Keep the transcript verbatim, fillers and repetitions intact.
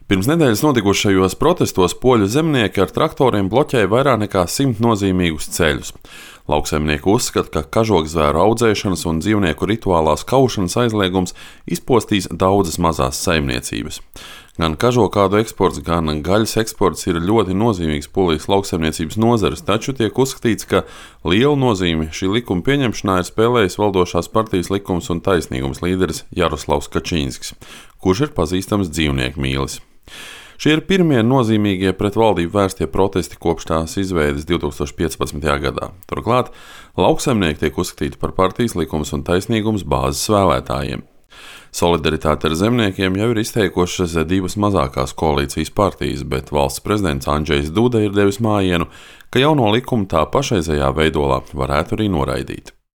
Pirms nedēļas notikušajos protestos poļu zemnieki ar traktoriem bloķēja vairāk nekā simt nozīmīgus ceļus. Lauksaimnieki uzskata, ka kažokzvēru audzēšanas un dzīvnieku rituālās kaušanas aizliegums izpostīs daudzas mazās saimniecības. Gan kažokādu eksports, gan gaļas eksports ir ļoti nozīmīgs polijas lauksaimniecības nozares, taču tiek uzskatīts, ka lielu nozīmi šī likuma pieņemšanā ir spēlējis valdošās partijas Likums un taisnīgums līderis Jaroslavs Kačīnskis, kurš ir pazīstams dzīvnieku mīlis. Šie ir pirmie nozīmīgie pret valdību vērstie protesti kopš tās izveides divi tūkstoši piecpadsmitajā gadā. Turklāt lauksaimnieki tiek uzskatīti par partijas Likums un taisnīgums bāzes vēlētājiem. Solidaritāti ar zemniekiem jau ir izteikušas divas mazākās koalīcijas partijas, bet valsts prezidents Andžejs Duda ir devis mājienu, ka jauno likumu tā pašreizējā veidolā varētu arī noraidīt.